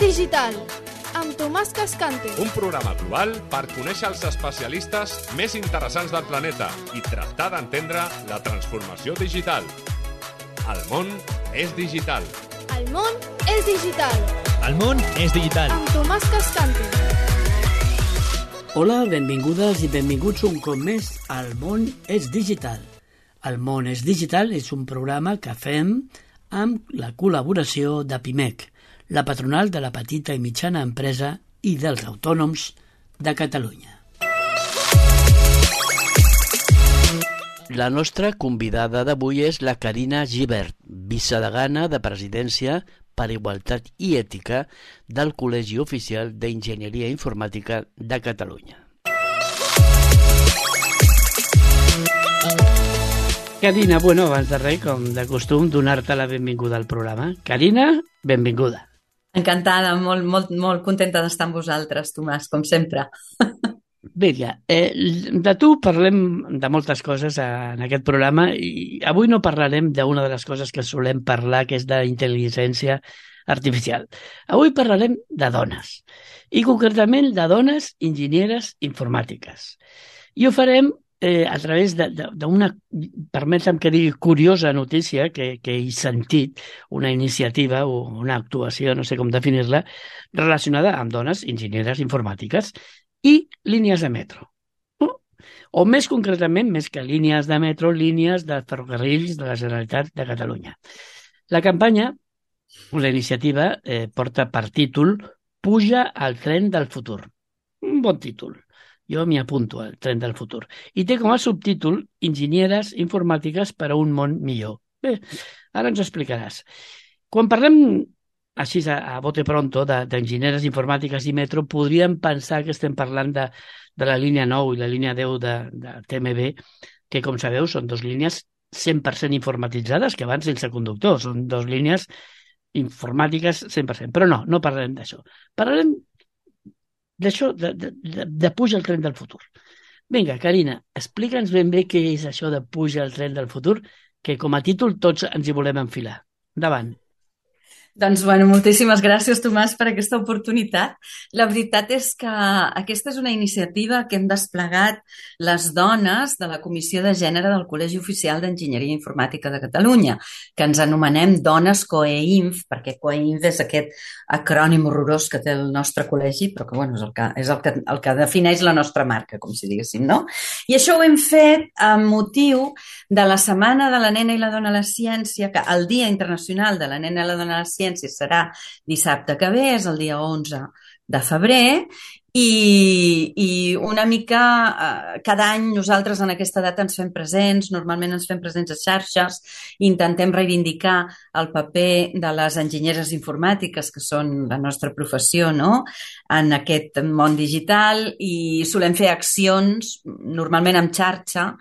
digital, amb Tomàs Cascante. Un programa global per conèixer els especialistes més interessants del planeta i tractar d'entendre la transformació digital. El món és digital. El món és digital. El món és digital. Amb Tomàs Cascante. Hola, benvingudes i benvinguts un cop més al món és digital. El món és digital és un programa que fem amb la col·laboració de PIMEC, la patronal de la petita i mitjana empresa i dels autònoms de Catalunya. La nostra convidada d'avui és la Carina Gibert, vicedegana de Presidència per Igualtat i Ètica del Col·legi Oficial d'Enginyeria Informàtica de Catalunya. Carina, abans de res, com de costum, donar-te la benvinguda al programa. Carina, benvinguda. Encantada, molt contenta d'estar amb vosaltres, Tomàs, com sempre. Vinga, de tu parlem de moltes coses en aquest programa i avui no parlarem d'una de les coses que solem parlar, que és d'intel·ligència artificial. Avui parlarem de dones, i concretament de dones enginyeres informàtiques. I ho farem a través d'una, permetem que digui, curiosa notícia que he sentit, una iniciativa o una actuació, no sé com definir-la, relacionada amb dones enginyeres informàtiques i línies de metro. O més concretament, més que línies de metro, línies de ferrocarrils de la Generalitat de Catalunya. La campanya, la iniciativa, porta per títol Puja al tren del futur. Un bon títol. Jo m'hi apunto al tren del futur. I té com a subtítol Enginyeres informàtiques per a un món millor. Bé, ara ens ho explicaràs. Quan parlem així a bote pronto d'enginyeres informàtiques i metro, podríem pensar que estem parlant de la línia 9 i la línia 10 de TMB, que, com sabeu, són dues línies 100% informatitzades que van sense conductor. Són dues línies informàtiques 100%. Però no parlarem d'això. Parlarem d'això, de puja al tren del futur. Vinga, Carina, explica'ns ben bé què és això de puja al tren del futur, que com a títol tots ens hi volem enfilar. Endavant. Doncs, moltíssimes gràcies, Tomàs, per aquesta oportunitat. La veritat és que aquesta és una iniciativa que hem desplegat les dones de la Comissió de Gènere del Col·legi Oficial d'Enginyeria Informàtica de Catalunya, que ens anomenem Dones COEINF, perquè COEINF és aquest acrònim horrorós que té el nostre col·legi, però que és el que defineix la nostra marca, com si diguéssim, no? I això ho hem fet amb motiu de la Setmana de la Nena i la Dona a la Ciència, que el Dia Internacional de la Nena i la Dona a la Ciència serà dissabte que ve, és el dia 11 de febrer, i una mica cada any nosaltres en aquesta data ens fem presents, normalment ens fem presents a xarxes, intentem reivindicar el paper de les enginyeres informàtiques, que són la nostra professió, no?, en aquest món digital, i solem fer accions, normalment en xarxa,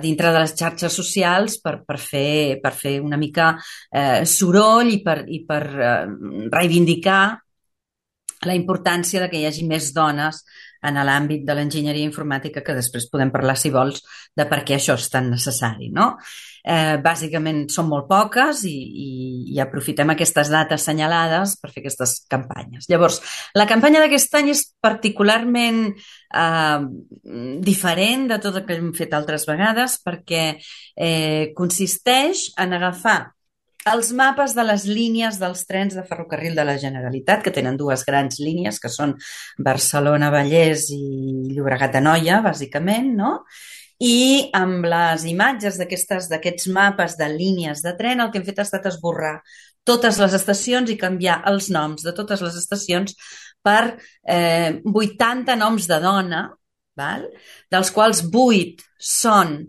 dintre de les xarxes socials per fer una mica soroll i per reivindicar la importància de que hi hagi més dones en l'àmbit de l'enginyeria informàtica, que després podem parlar, si vols, de per què això és tan necessari, no? Bàsicament són molt poques i aprofitem aquestes dates assenyalades per fer aquestes campanyes. Llavors, la campanya d'aquest any és particularment diferent de tot el que hem fet altres vegades, perquè consisteix en agafar els mapes de les línies dels trens de ferrocarril de la Generalitat, que tenen dues grans línies, que són Barcelona-Vallès i Llobregat-Anoia, bàsicament, no? I amb les imatges d'aquests mapes de línies de tren, el que hem fet ha estat esborrar totes les estacions i canviar els noms de totes les estacions per 80 noms de dona, dels quals 8 són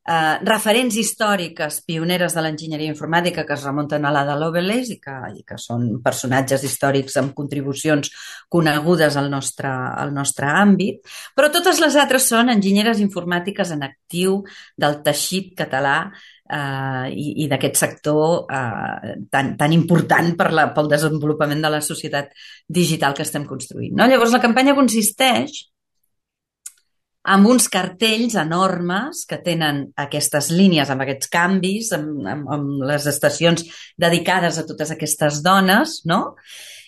referents històriques pioneres de l'enginyeria informàtica que es remunten a l'Ada Lovelace i que són personatges històrics amb contribucions conegudes al nostre àmbit, però totes les altres són enginyeres informàtiques en actiu del teixit català i d'aquest sector tan important pel desenvolupament de la societat digital que estem construint, no? Llavors, la campanya consisteix amb uns cartells enormes que tenen aquestes línies, amb aquests canvis, amb les estacions dedicades a totes aquestes dones, no?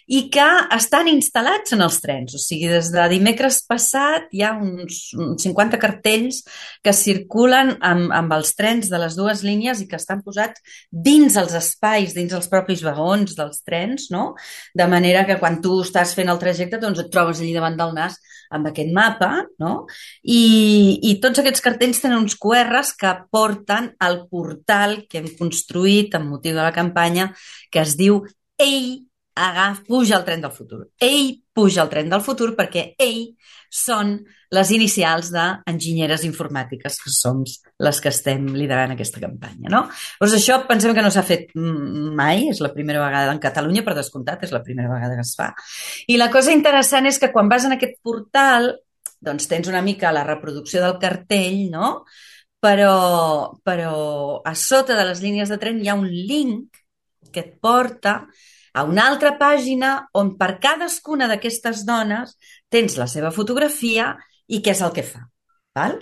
i que estan instal·lats en els trens. O sigui, des de dimecres passat hi ha uns 50 cartells que circulen amb els trens de les dues línies i que estan posats dins els espais, dins els propis vagons dels trens, no? De manera que quan tu estàs fent el trajecte doncs et trobes allí davant del nas amb aquest mapa, no? I tots aquests cartells tenen uns QRs que porten al portal que hem construït amb motiu de la campanya, que es diu Ei, puja al tren del futur. Ei, puja al tren del futur, perquè Ei són les inicials d'enginyeres informàtiques, que som les que estem liderant aquesta campanya, no? Doncs això pensem que no s'ha fet mai, és la primera vegada en Catalunya, per descomptat, és la primera vegada que es fa. I la cosa interessant és que quan vas en aquest portal, doncs tens una mica la reproducció del cartell, no? Però a sota de les línies de tren hi ha un link que et porta a una altra pàgina on per cadascuna d'aquestes dones tens la seva fotografia i què és el que fa. Val?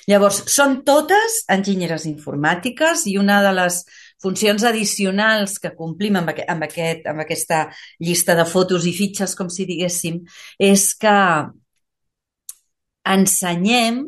Llavors, són totes enginyeres informàtiques i una de les funcions addicionals que complim amb aquesta llista de fotos i fitxes, com si diguéssim, és que ensenyem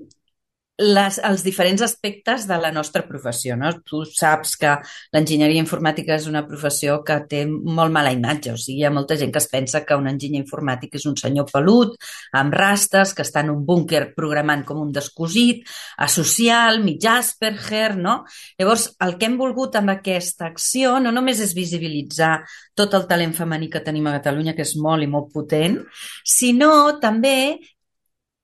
els diferents aspectes de la nostra professió, no? Tu saps que l'enginyeria informàtica és una professió que té molt mala imatge, o sigui, hi ha molta gent que es pensa que un enginyer informàtic és un senyor pelut, amb rastes, que està en un búnquer programant com un descosit, asocial, mig Asperger, no? Llavors, el que hem volgut amb aquesta acció no només és visibilitzar tot el talent femení que tenim a Catalunya, que és molt i molt potent, sinó també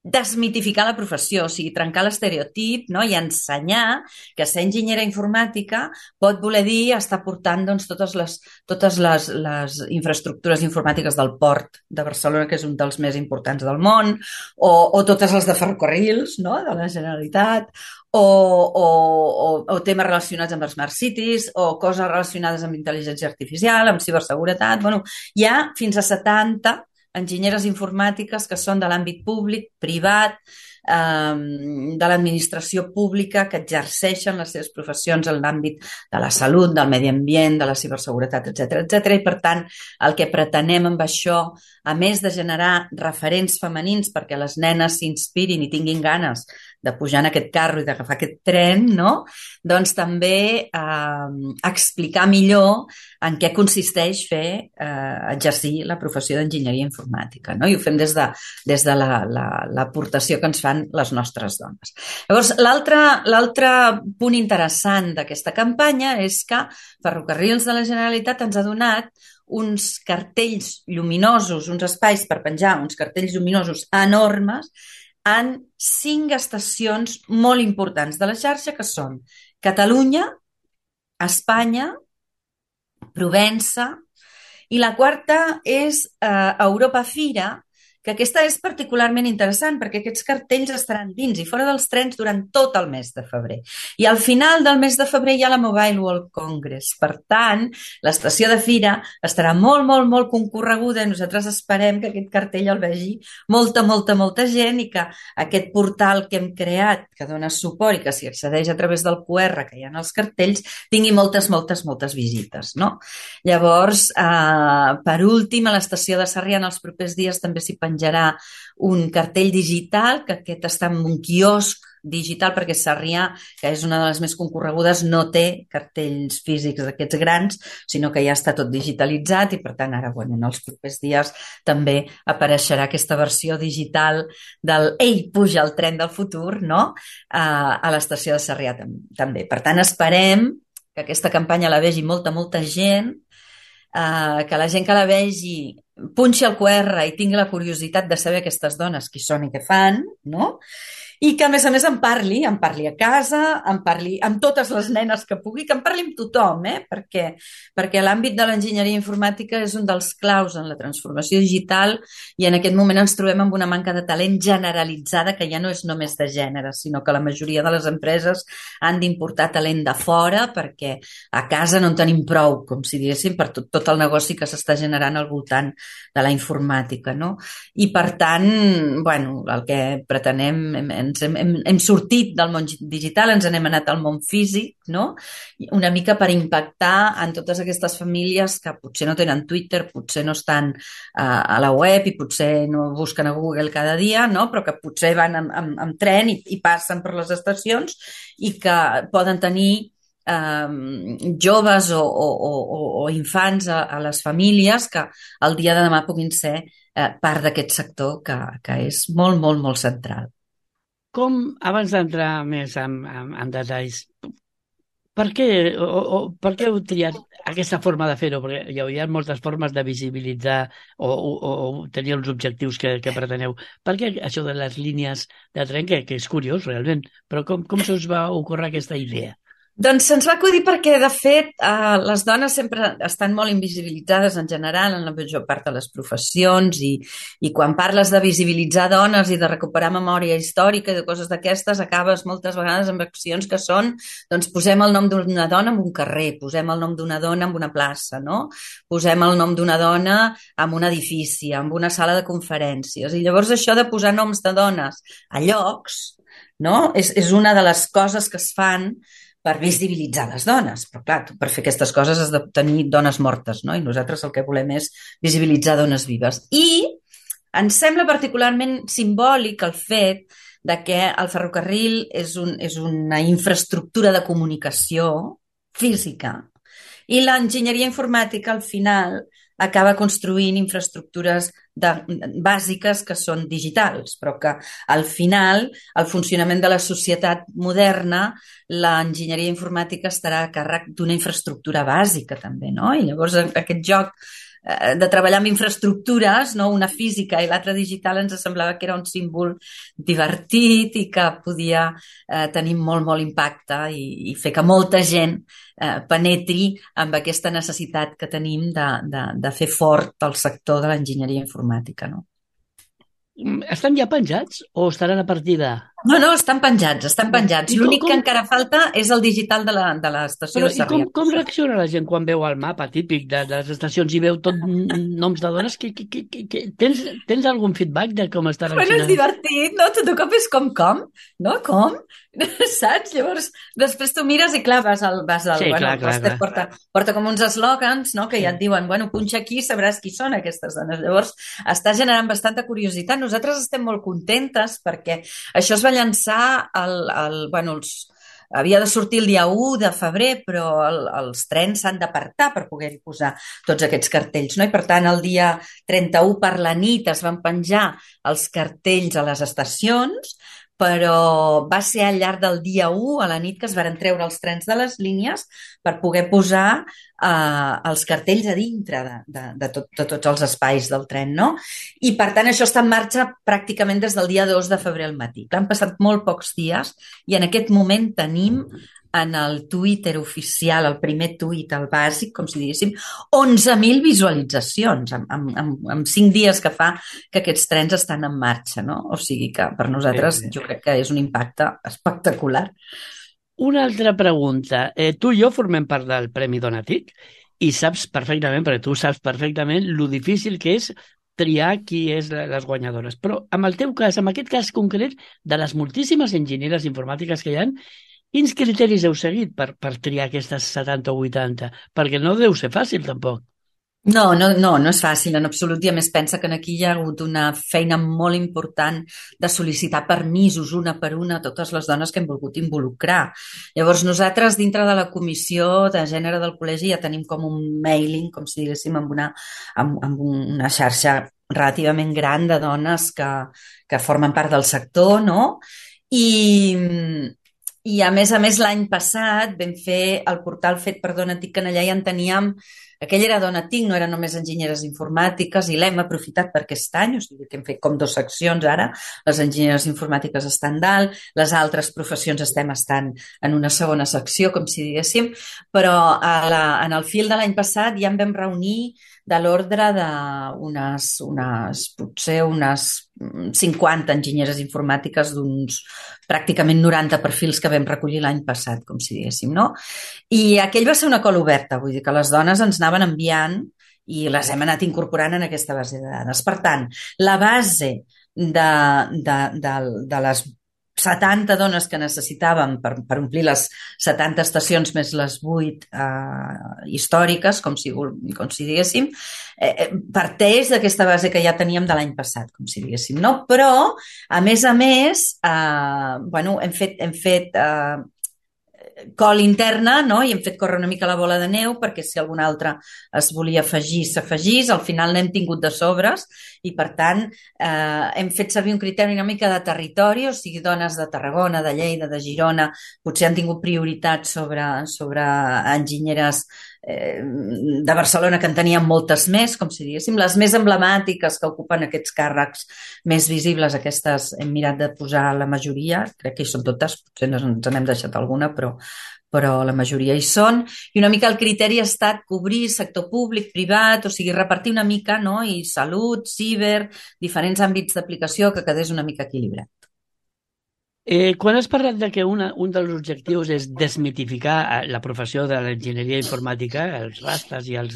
desmitificar la professió, o sigui, trencar l'estereotip, no? I ensenyar que ser enginyera informàtica pot voler dir estar portant doncs, totes les infraestructures informàtiques del port de Barcelona, que és un dels més importants del món, o totes les de ferrocarrils, no? De la Generalitat, o temes relacionats amb els Smart Cities, o coses relacionades amb intel·ligència artificial, amb ciberseguretat. Bueno, hi ha fins a 70 enginyeres informàtiques que són de l'àmbit públic, privat, de l'administració pública, que exerceixen les seves professions en l'àmbit de la salut, del medi ambient, de la ciberseguretat, etc. I, per tant, el que pretenem amb això, a més de generar referents femenins perquè les nenes s'inspirin i tinguin ganes de pujar en aquest carro i d'agafar aquest tren, no? Doncs també explicar millor en què consisteix exercir la professió d'enginyeria informàtica, no? I ho fem des de l'aportació que ens fan les nostres dones. Llavors, l'altre punt interessant d'aquesta campanya és que Ferrocarrils de la Generalitat ens ha donat uns cartells lluminosos, uns espais per penjar, uns cartells lluminosos enormes en 5 estacions molt importants de la xarxa, que són Catalunya, Espanya, Provença, i la quarta és Europa Fira, que aquesta és particularment interessant perquè aquests cartells estaran dins i fora dels trens durant tot el mes de febrer. I al final del mes de febrer hi ha la Mobile World Congress. Per tant, l'estació de Fira estarà molt, molt, molt concorreguda i nosaltres esperem que aquest cartell el vegi molta, molta, molta gent i que aquest portal que hem creat, que dona suport i que s'hi accedeix a través del QR que hi ha en els cartells, tingui moltes, moltes, moltes visites, no? Llavors, per últim, a l'estació de Sarrià en els propers dies també s'hi penjarà un cartell digital, que aquest està en un quiosc digital perquè Sarrià, que és una de les més concorregudes, no té cartells físics d'aquests grans, sinó que ja està tot digitalitzat i per tant ara, en els propers dies també apareixerà aquesta versió digital del Ei, puja al tren del futur, no? A l'estació de Sarrià també. Per tant, esperem que aquesta campanya la vegi molta, molta gent, que la gent que la vegi punxi el QR i tingui la curiositat de saber aquestes dones qui són i què fan, no? I que, a més, en parli a casa, en parli amb totes les nenes que pugui, que en parli amb tothom, perquè l'àmbit de l'enginyeria informàtica és un dels claus en la transformació digital i en aquest moment ens trobem amb una manca de talent generalitzada que ja no és només de gènere, sinó que la majoria de les empreses han d'importar talent de fora perquè a casa no en tenim prou, com si diguéssim, per tot el negoci que s'està generant al voltant de la informàtica, no? I, per tant, el que pretenem hem sortit del món digital, ens n'hem anat al món físic, no? Una mica per impactar en totes aquestes famílies que potser no tenen Twitter, potser no estan a la web i potser no busquen a Google cada dia, no? Però que potser van amb tren i passen per les estacions i que poden tenir joves o infants a les famílies que el dia de demà puguin ser part d'aquest sector que és molt, molt, molt central. Abans d'entrar més en detalls, per què heu triat aquesta forma de fer-ho? Perquè hi ha moltes formes de visibilitzar o tenir els objectius que preteneu. Per què això de les línies de tren, que és curiós realment, però com se us va ocórrer aquesta idea? Doncs se'ns va acudir perquè, de fet, les dones sempre estan molt invisibilitzades en general en la major part de les professions i quan parles de visibilitzar dones i de recuperar memòria històrica i de coses d'aquestes, acabes moltes vegades amb accions que són, doncs posem el nom d'una dona en un carrer, posem el nom d'una dona en una plaça, no? Posem el nom d'una dona en un edifici, en una sala de conferències. I llavors això de posar noms de dones a llocs, no? És una de les coses que es fan per visibilitzar les dones. Però clar, per fer aquestes coses has de tenir dones mortes, no? I nosaltres el que volem és visibilitzar dones vives. I ens sembla particularment simbòlic el fet de que el ferrocarril és una infraestructura de comunicació física i l'enginyeria informàtica al final acaba construint infraestructures bàsiques que són digitals, però que al final el funcionament de la societat moderna, l'enginyeria informàtica estarà a càrrec d'una infraestructura bàsica també, no? I llavors aquest joc de treballar amb infraestructures, no? Una física i l'altra digital, ens semblava que era un símbol divertit i que podia tenir molt, molt impacte i fer que molta gent penetri amb aquesta necessitat que tenim de fer fort el sector de l'enginyeria informàtica, no? Estan ja penjats o estaran a partir de...? No, estan penjats. L'únic que encara falta és el digital de l'estació de Sarrià. I com reacciona la gent quan veu el mapa típic de les estacions i veu tot noms de dones? Tens algun feedback de com està reaccionant? Bueno, és divertit, no? Tot de cop és com? No? Com? Saps? Llavors, després tu mires i clar, vas al sí, clar. Porta com uns eslògans, no? Que ja et diuen, bueno, punxa aquí i sabràs qui són aquestes dones. Llavors, està generant bastanta curiositat. Nosaltres estem molt contentes perquè això es va llançar havia de sortir el dia 1 de febrer, però els trens s'han d'apartar per poder-hi posar tots aquests cartells, no? I per tant el dia 31 per la nit es van penjar els cartells a les estacions, però va ser al llarg del dia 1 a la nit que es van treure els trens de les línies per poder posar els cartells a dintre de tots els espais del tren, no? I per tant això està en marxa pràcticament des del dia 2 de febrer al matí. Han passat molt pocs dies i en aquest moment tenim en el Twitter oficial, el primer tuit, el bàsic, com si diguéssim, 11.000 visualitzacions en 5 dies que fa que aquests trens estan en marxa, no? O sigui que per nosaltres jo crec que és un impacte espectacular. Una altra pregunta. Tu i jo formem part del Premi Donatic i saps perfectament, perquè tu saps perfectament lo difícil que és triar qui és les guanyadores. Però en el teu cas, en aquest cas concret, de les moltíssimes enginyeres informàtiques que hi ha, quins criteris heu seguit per triar aquestes 70 o 80? Perquè no deu ser fàcil, tampoc. No és fàcil en absolut, i a més pensa que aquí hi ha hagut una feina molt important de sol·licitar permisos una per una a totes les dones que hem volgut involucrar. Llavors nosaltres dintre de la comissió de gènere del col·legi ja tenim com un mailing, com si diguéssim, amb una xarxa relativament gran de dones que formen part del sector, no? I a més l'any passat vam fer el portal fet per Donatic, que allà ja en teníem. Aquell era Donatic, no eren només enginyeres informàtiques, i l'hem aprofitat per aquest any, o sigui que hem fet com 2 seccions ara. Les enginyeres informàtiques estan dalt, les altres professions estem en una segona secció, com si diguéssim, però en el fil de l'any passat ja en vam reunir de l'ordre potser unes 50 enginyeres informàtiques d'uns pràcticament 90 perfils que vam recollir l'any passat, com si diguéssim, no? I aquell va ser una cola oberta, vull dir que les dones ens anaven enviant i les hem anat incorporant en aquesta base de dades. Per tant, la base de les 70 dones que necessitàvem per omplir les 70 estacions més les 8 històriques, com si diguéssim, parteix d'aquesta base que ja teníem de l'any passat, com si diguéssim, no? Però, a més, hem fet col interna, no? I hem fet córrer una mica la bola de neu perquè si algun altre es volia afegir, s'afegís. Al final n'hem tingut de sobres i, per tant, hem fet servir un criteri una mica de territori, o sigui, dones de Tarragona, de Lleida, de Girona, potser han tingut prioritat sobre enginyeres de Barcelona, que en teníem moltes més, com si diguéssim, les més emblemàtiques que ocupen aquests càrrecs més visibles, aquestes hem mirat de posar la majoria, crec que hi són totes, potser ens n'hem deixat alguna, però la majoria hi són, i una mica el criteri ha estat cobrir sector públic, privat, o sigui, repartir una mica, no? I salut, ciber, diferents àmbits d'aplicació, que quedés una mica equilibrat. Quan has parlat de que un dels objectius és desmitificar la professió de l'enginyeria informàtica, els rastres i els...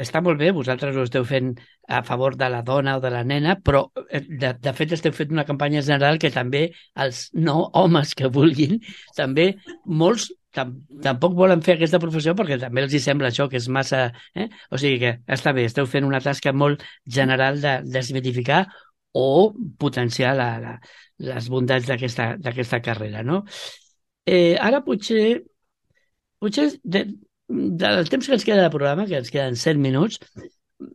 està molt bé, vosaltres ho esteu fent a favor de la dona o de la nena, però de fet esteu fent una campanya general que també els no homes que vulguin, també molts tampoc volen fer aquesta professió perquè també els hi sembla això, que és massa... O sigui que està bé, esteu fent una tasca molt general de desmitificar o potenciar les bondats d'aquesta carrera, no? Ara potser del temps que ens queda de programa, que ens queden 7 minuts,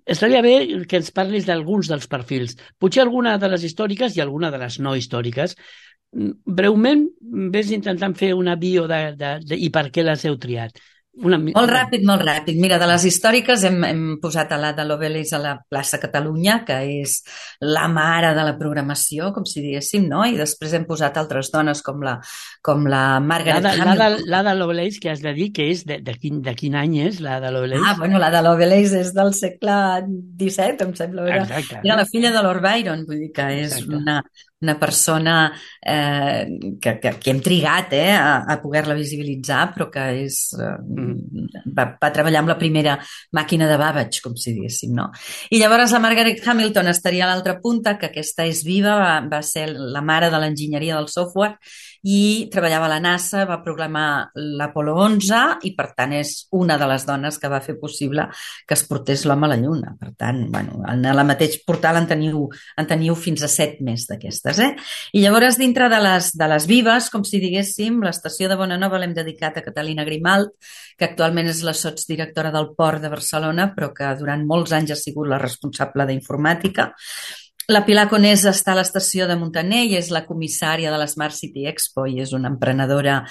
estaria bé que ens parlis d'alguns dels perfils. Potser alguna de les històriques i alguna de les no històriques. Breument, vés intentant fer una bio i per què les heu triat. Molt ràpid. Mira, de les històriques hem posat a l'Ada Lovelace a la plaça Catalunya, que és la mare de la programació, com si diguéssim, no? I després hem posat altres dones com la Margaret Hamilton. L'Ada Lovelace, que has de dir que és de quin any és l'Ada Lovelace? L'Ada Lovelace és del segle XVII, em sembla. Era la filla de Lord Byron, vull dir que és una persona que hem trigat a poder-la visibilitzar, però que va treballar amb la primera màquina de Babbage, com si diguéssim, no? I llavors la Margaret Hamilton estaria a l'altra punta, que aquesta és viva, va ser la mare de l'enginyeria del software i treballava a la NASA, va programar l'Apolo 11 i, per tant, és una de les dones que va fer possible que es portés l'home a la Lluna. Per tant, en el mateix portal en teniu fins a 7 més d'aquestes. I llavors, dintre de les vives, com si diguéssim, l'estació de Bonanova l'hem dedicat a Catalina Grimalt, que actualment és la sotsdirectora del Port de Barcelona, però que durant molts anys ha sigut la responsable d'informàtica. La Pilar Conés està a l'estació de Muntaner i és la comissària de l'Smart City Expo i és una emprenedora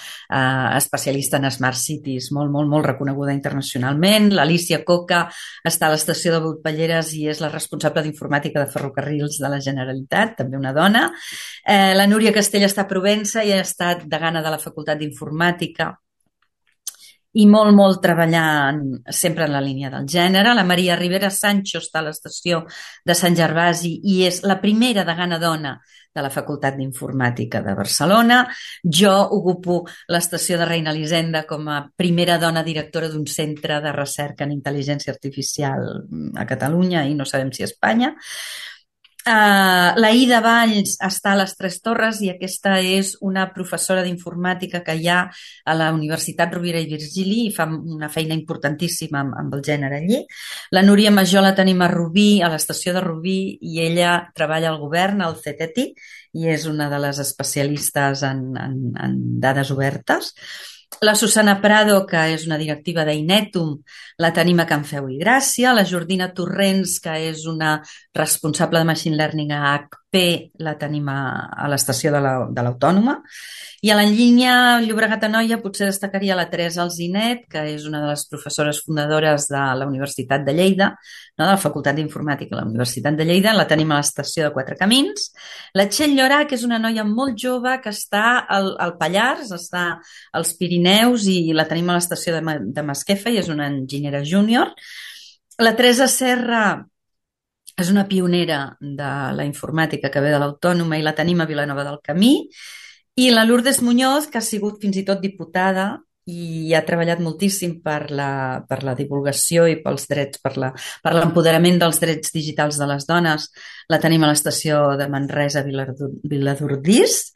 especialista en Smart Cities molt, molt, molt reconeguda internacionalment. L'Alicia Coca està a l'estació de Botballeres i és la responsable d'informàtica de ferrocarrils de la Generalitat, també una dona. La Núria Castell està a Provença i ha estat degana de la Facultat d'Informàtica i molt treballant sempre en la línia del gènere. La Maria Rivera Sancho està a l'estació de Sant Gervasi i és la primera degana dona de la Facultat d'Informàtica de Barcelona. Jo ocupo l'estació de Reina Elisenda com a primera dona directora d'un centre de recerca en intel·ligència artificial a Catalunya i no sabem si a Espanya. La Ida Valls està a les Tres Torres i aquesta és una professora d'informàtica que hi ha a la Universitat Rovira i Virgili i fa una feina importantíssima amb el gènere allí. La Núria Major la tenim a Rubí, a l'estació de Rubí, i ella treballa al govern, al CETETI, i és una de les especialistes en dades obertes. La Susana Prado, que és una directiva d'Inetum, la tenim a Can Feu i Gràcia. La Jordina Torrents, que és una responsable de Machine Learning a HP, la tenim a l'estació de l'Autònoma. I a la línia Llobregat-Anoia potser destacaria la Teresa Alzinet, que és una de les professores fundadores de la Universitat de Lleida, no, de la Facultat d'Informàtica de la Universitat de Lleida. La tenim a l'estació de Quatre Camins. La Txell Llorà, que és una noia molt jove que està al Pallars, està als Pirineus i la tenim a l'estació de Masquefa i és una enginyera júnior. La Teresa Serra és una pionera de la informàtica que ve de l'Autònoma i la tenim a Vilanova del Camí. I la Lourdes Muñoz, que ha sigut fins i tot diputada i ha treballat moltíssim per la divulgació i pels drets, per l'empoderament dels drets digitals de les dones. La tenim a l'estació de Manresa, Viladordís.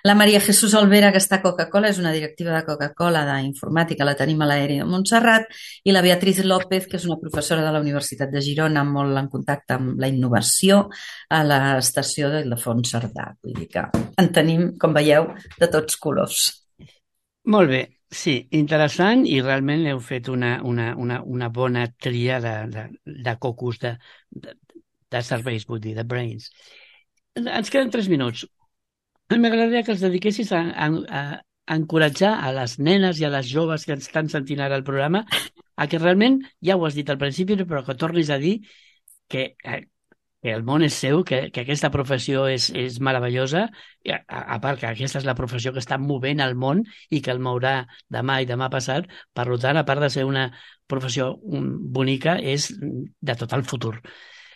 La Maria Jesús Olvera, que està a Coca-Cola, és una directiva de Coca-Cola d'informàtica, la tenim a l'Aeri de Montserrat. I la Beatriz López, que és una professora de la Universitat de Girona, molt en contacte amb la innovació, a l'estació de Ildefons Cerdà. Vull dir que en tenim, com veieu, de tots colors. Molt bé, sí, interessant, i realment heu fet una bona tria de cocos, de cervells, vull dir, de brains. Ens queden 3 minuts. M'agradaria que els dediquessis a encoratjar a les nenes i a les joves que ens estan sentint ara el programa a que realment, ja ho has dit al principi, però que tornis a dir que el món és seu, que aquesta professió és meravellosa, a part que aquesta és la professió que està movent el món i que el mourà demà i demà passat. Per tant, a part de ser una professió bonica, és de tot el futur.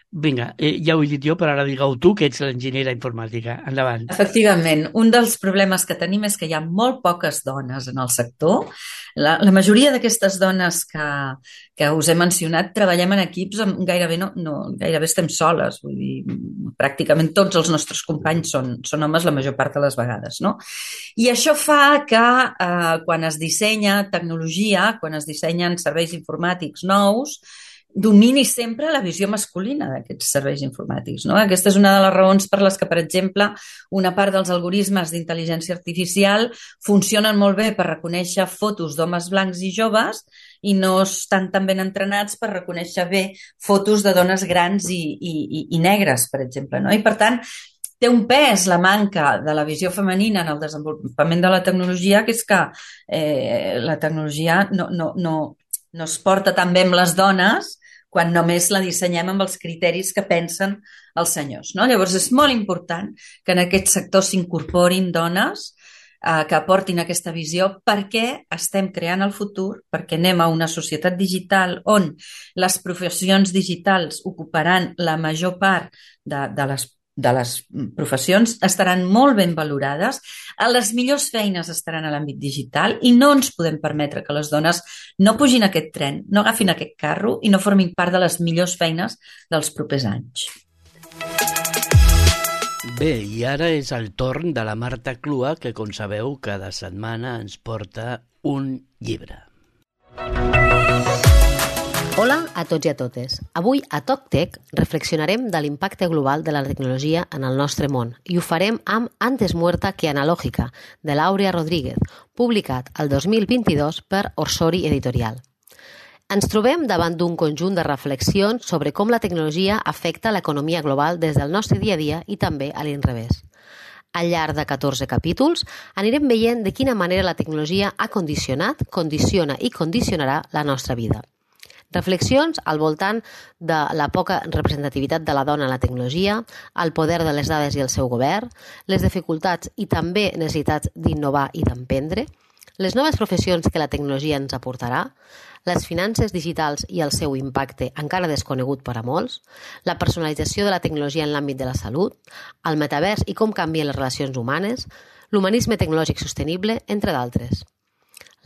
Vinga, ja ho he dit jo, però ara digueu tu, que ets l'enginyera informàtica. Endavant. Efectivament, un dels problemes que tenim és que hi ha molt poques dones en el sector. La majoria d'aquestes dones que us he mencionat treballem en equips amb gairebé estem soles. Vull dir, pràcticament tots els nostres companys són homes la major part de les vegades, no? I això fa que quan es dissenya tecnologia, quan es dissenyen serveis informàtics nous, domini sempre la visió masculina d'aquests serveis informàtics, no? Aquesta és una de les raons per les que, per exemple, una part dels algoritmes d'intel·ligència artificial funcionen molt bé per reconèixer fotos d'homes blancs i joves i no estan tan ben entrenats per reconèixer bé fotos de dones grans i negres, per exemple, no? I, per tant, té un pes la manca de la visió femenina en el desenvolupament de la tecnologia, que és que la tecnologia no es porta tan bé amb les dones quan només la dissenyem amb els criteris que pensen els senyors, no? Llavors és molt important que en aquest sector s'incorporin dones que aportin aquesta visió, perquè estem creant el futur, perquè anem a una societat digital on les professions digitals ocuparan la major part de les professions, estaran molt ben valorades, les millors feines estaran a l'àmbit digital i no ens podem permetre que les dones no pugin a aquest tren, no agafin aquest carro i no formin part de les millors feines dels propers anys. Bé, i ara és el torn de la Marta Clua, que, com sabeu, cada setmana ens porta un llibre. Hola a tots i a totes. Avui a TocTech reflexionarem de l'impacte global de la tecnologia en el nostre món i ho farem amb Antes muerta que analógica, de l'Àurea Rodríguez, publicat el 2022 per Orsori Editorial. Ens trobem davant d'un conjunt de reflexions sobre com la tecnologia afecta l'economia global des del nostre dia a dia i també a l'inrevés. Al llarg de 14 capítols anirem veient de quina manera la tecnologia ha condicionat, condiciona i condicionarà la nostra vida. Reflexions al voltant de la poca representativitat de la dona en la tecnologia, el poder de les dades i el seu govern, les dificultats i també necessitats d'innovar i d'emprendre, les noves professions que la tecnologia ens aportarà, les finances digitals i el seu impacte encara desconegut per a molts, la personalització de la tecnologia en l'àmbit de la salut, el metavers i com canvien les relacions humanes, l'humanisme tecnològic sostenible, entre d'altres.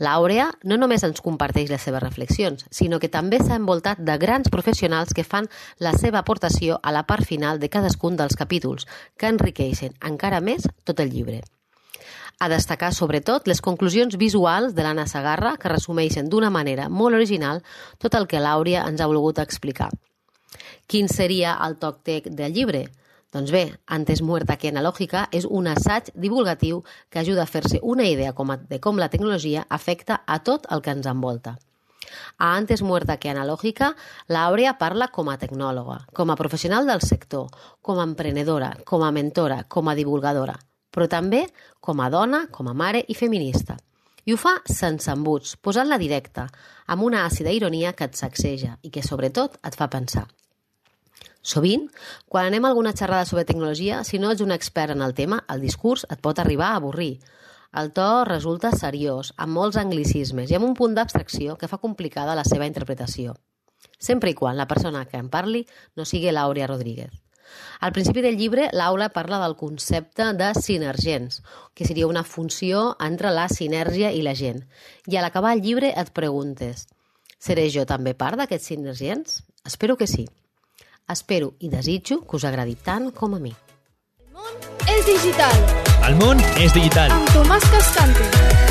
L'Àurea no només ens comparteix les seves reflexions, sinó que també s'ha envoltat de grans professionals que fan la seva aportació a la part final de cadascun dels capítols, que enriqueixen encara més tot el llibre. A destacar, sobretot, les conclusions visuals de l'Anna Segarra, que resumeixen d'una manera molt original tot el que l'Àurea ens ha volgut explicar. Quin seria el TocTech del llibre? Doncs bé, Antes muerta que analógica és un assaig divulgatiu que ajuda a fer-se una idea de com la tecnologia afecta a tot el que ens envolta. A Antes muerta que analógica, l'Àurea parla com a tecnòloga, com a professional del sector, com a emprenedora, com a mentora, com a divulgadora, però també com a dona, com a mare i feminista. I ho fa sense embuts, posant-la directa, amb una àcida ironia que et sacseja i que, sobretot, et fa pensar. Sovint, quan anem a alguna xerrada sobre tecnologia, si no ets un expert en el tema, el discurs et pot arribar a avorrir. El to resulta seriós, amb molts anglicismes i amb un punt d'abstracció que fa complicada la seva interpretació. Sempre i quan la persona que en parli no sigui l'Àurea Rodríguez. Al principi del llibre, l'Aula parla del concepte de sinergens, que seria una funció entre la sinergia i la gent. I a l'acabar el llibre et preguntes, seré jo també part d'aquests sinergens? Espero que sí. Espero i desitjo que us agradi tant com a mi. El món és digital. El món és digital. Amb Tomàs Cascante.